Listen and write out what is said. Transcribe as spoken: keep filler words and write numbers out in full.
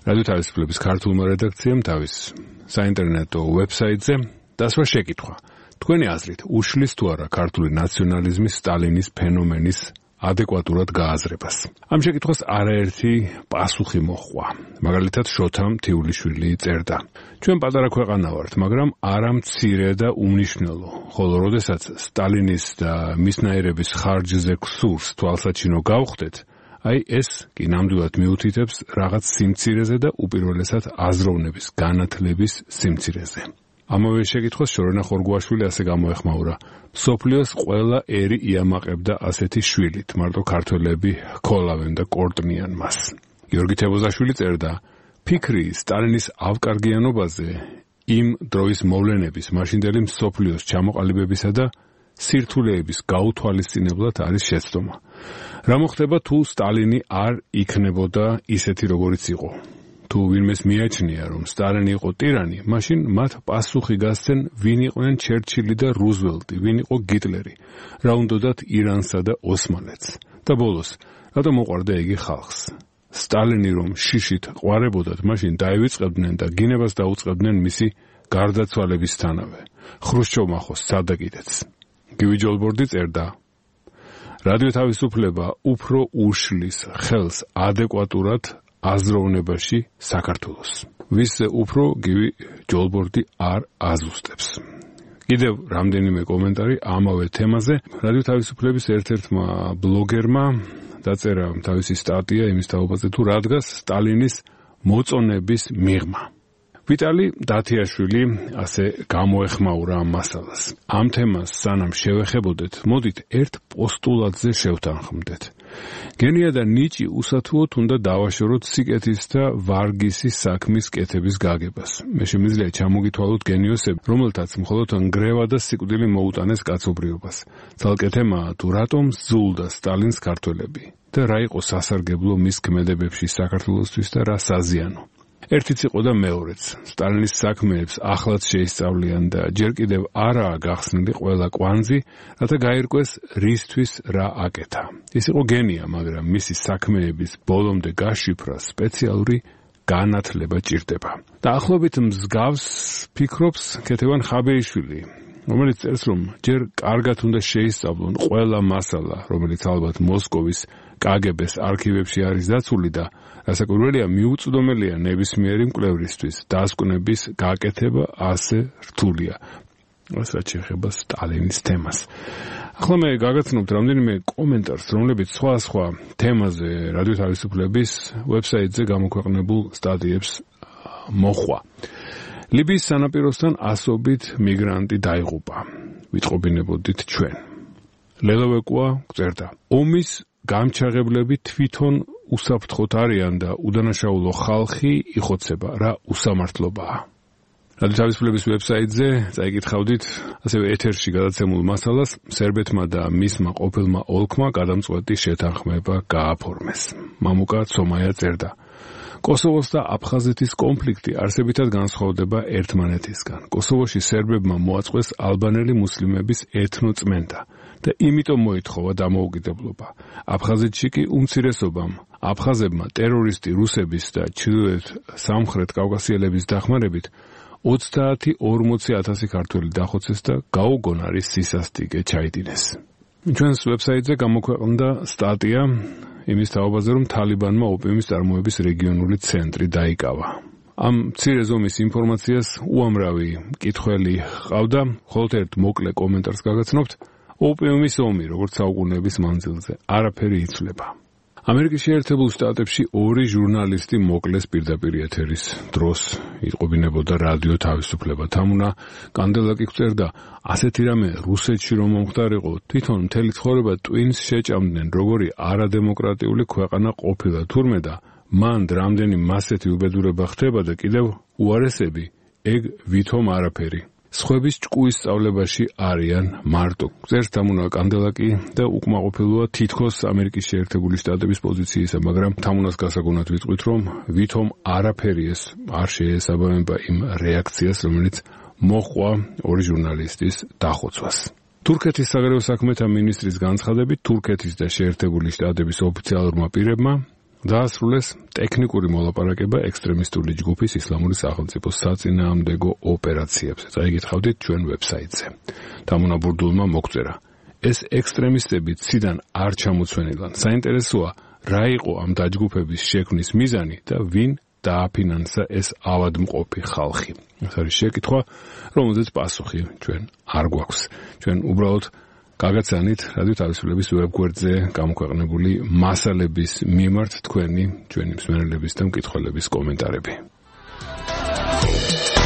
რადიო თავისუფლების ქართულმა რედაქციამ თავის საინტერნეტო ვებსაიტზე დასვა შეკითხვა. თქვენი აზრით, უშლის თუ არა ქართული ნაციონალიზმის სტალინის ფენომენის ადეკვატურად გააზრებას. ამ შეკითხვას არაერთი პასუხი მოჰყვა. მაგალითად, შოთა მთიულიშვილი წერდა. ჩვენ პატარა ქვეყანა ვართ, მაგრამ არა მცირე და უმნიშვნელო. ხოლო როდესაც სტალინის და მისნაირების ხარჯზე ქსურს თვალსაჩინო გავხდეთ, აი ეს კი ნამდვილად მიუთითებს რაღაც სიმცირეზე და უპირველესად აზროვნების განათლების სიმცირეზე. ამავე შეკითხვას შორენა ხორგუაშვილი ასე გამოეხმაურა. მსოფლიოს ყველა ერი იამაყებდა ასეთი შვილით, მარტო ქართველები ჰქოლავენ და კორტნიან მას. გიორგი თებოზაშვილი წერდა, ფიქრი სტალინის ავკარგიანობაზე იმ დროის მოვლენების მაშინდელი მსოფლიოს ჩამოყალიბებისა და სირთულეების გაუთვალისწინებლად არის შეცდომა. რა მოხდება თუ სტალინი არ იქნებოდა ისეთი როგორიც იყო? თუ ვინმეს მიაჩნია, რომ სტალინი იყო ტირანი, მაშინ მათ პასუხი გასცენ, ვინ იყვნენ ჩერჩილი და რუზველტი, ვინ იყო გიტლერი, რა უნდათ ირანსა და ოსმალეთს. და ბოლოს, რატომ მოყვარდა იგი ხალხს? სტალინი რომ შიშით ყვარებოდათ, მაშინ დაივიწყებდნენ და გინებას დაუწყებდნენ მისი გარდაცვალებისთანავე. ხრუშჩოვმა ხო სცადა კიდეც. გივი ჯოლბორდი წერდა, რადიო თავისუფლება უფრო უშლის ხელს ადეკვატურად აზროვნებაში საქართველოს. ვის უფრო გივი ჯოლბორდი არ აზუსტებს. კიდევ რამდენიმე კომენტარი ამავე თემაზე. რადიო თავისუფლების ერთ-ერთმა ბლოგერმა დაწერა თავისი სტატია იმის თაობაზე, თუ რა დგას სტალინის მოწონების მიღმა. ვიტალი დათიაშვილი ასე გამოეხმაურა ამ მასალას. ამ თემას სანამ შევეხებოდეთ, მოდით ერთ პოსტულატზე შევთანხმდეთ. გენია და ნიჭი უსათუოდ უნდა დავაშოროთ სიკეთის და ვარგისის საქმის კეთების გაგებას. მე შემიძლია ჩამოგითვალოთ გენიოსები, რომელთაც მხოლოდ ნგრევა და სიკვდილი მოუტანეს კაცობრიობას. ცალკე თემაა თუ რატომ ზულდა სტალინს ქართველები და რა იყო სასარგებლო მის ქმედებებში საქართველოსთვის და რა საზიანო. ერთიც იყო და მეორეც. სტალინის საქმეებს ახლაც შეისწავლიან და ჯერ კიდევ არაა გახსნილი ყველა კვანძი, რათა გაირკვეს რისთვის რა აკეთა. ის იყო გენია, მაგრამ მისი საქმეების ბოლომდე გაშიფრა სპეციალური განათლება ჭირდება. და ახლობით მსგავს ფიქრობს ქეთევან ხაბეიშვილი, რომელიც წერს, რომ ჯერ კარგად უნდა შეისწავლონ ყველა მასალა, რომელიც ალბათ მოსკოვის კაგებეს არქივებში არის დაცული და რასაკვირველია მიუწვდომელია ნებისმიერი მკვლევრისთვის დასკვნების გაკეთება ასე რთულია. ეს რაც შეეხება სტალინის თემას. ახლა მე გაგაცნობთ რამდენიმე კომენტარს, რომლებიც სხვა სხვა თემაზე რადიო თავისუფლების ვებსაიტზე გამოქვეყნებულ სტატიებს მოხვა. ლიბიის სანაპიროსთან ასობით მიგრანტი დაიღუპა. ვიტყობინებოდით ჩვენ. ლელოვეკუა წერდა, ომის გამჩაღებლები თვითონ უსაფრთხოთ არიან და უდანაშაულო ხალხი იხოცება, რა უსამართლობაა. რადიო თავისუფლების ვებსაიტზე წაიკითხავდით ასევე ეთერში გადაცემულ მასალას, სერბეთმა და მისმა ყოფილმა ოლქმა გადამწყვეტი შეთანხმება გააფორმეს. მამუკა ცომაია წერდა, კოსოვოს და აფხაზეთის კონფლიქტი არსებითად განსხვავდება ერთმანეთისგან. კოსოვოში სერბებმა მოაწყვეს ალბანელი მუსლიმების ეთნოწმენდა და იმიტომ მოითხოვა დამოუკიდებლობა. აფხაზეთში კი უმცირესობამ აფხაზებმა ტერორისტი რუსების და ჩრდილოეთ სამხრეთ კავკასიელების დახმარებით ოცდაათი ორმოცი ათასი ქართველი დახოცეს და გაუგონარი სისასტიკე ჩაიდინეს. ჩვენს ვებსაიტზე გამოქვეყნდა სტატია იმის თაობაზე, რომ თალიბანმა ოპიუმის წარმოების რეგიონული ცენტრი დაიკავა. ამ მცირე ზომის ინფორმაციას უამრავი მკითხველი ჰყავდა, მხოლოდ ერთ მოკლე კომენტარს გაგაცნობთ. ოპიუმის ომი, როგორც საუკუნეების მანძილზე, არაფერი იცვლება. ამერიკის შეერთებულ შტატებში ორი ჟურნალისტი მოკლეს პირდაპირ ეთერის დროს იტყობინებოდა რადიო თავისუფლება. თამუნა კანდელაკი წერდა, ასეთი რამე რუსეთში რომ მომხდარიყო, თვითონ მთელი ცხოვრება ტვინს შეჭამდნენ, როგორი არადემოკრატიული ქვეყანა ყოფილა თურმე და მან რამდენი მასეთი უბედურება ხდება და კიდევ უარესები, ეგ ვითომ არაფერი. სხვების ჭკუის სწავლებაში არიან მარტო. წერს თამუნა კანდელაკი და უკმაყოფილოა თითქოს ამერიკის შეერთებული შტატების პოზიციისა, მაგრამ თამუნას გასაგონად ვიტყვით, რომ ვითომ არაფერი ეს არ შეესაბამება იმ რეაქციას, რომელიც მოჰყვა ორი ჟურნალისტის დახოცვას. თურქეთის საგარეო საქმეთა მინისტრის განცხადებით, თურქეთის და შეერთებული შტატების ოფიციალურმა პირებმა დაასრულეს ტექნიკური მოლაპარაკება ექსტრემისტული ჯგუფის ისლამური სახელმწიფოს საწინააღმდეგო ოპერაციებზე. წაიგითხავდით ჩვენ ვებსაიტზე. დამონაბურდულმა მოგწერა: ეს ექსტრემისტები ციდან არ ჩამოცვენილან. საინტერესოა, რა იყო ამ დაჯგუფების შექმნის მიზანი და ვინ დააფინანსა ეს ავადმყოფი ხალხი. ეს არის შეკითხვა, რომელზეც პასუხი ჩვენ არ გვაქვს. ჩვენ უბრალოდ გაგაცანით რადიო თავისუფლების ვებგვერდზე გამოქვეყნებული მასალების მიმართ თქვენი ჩვენი მსმენელების და მკითხველების კომენტარები.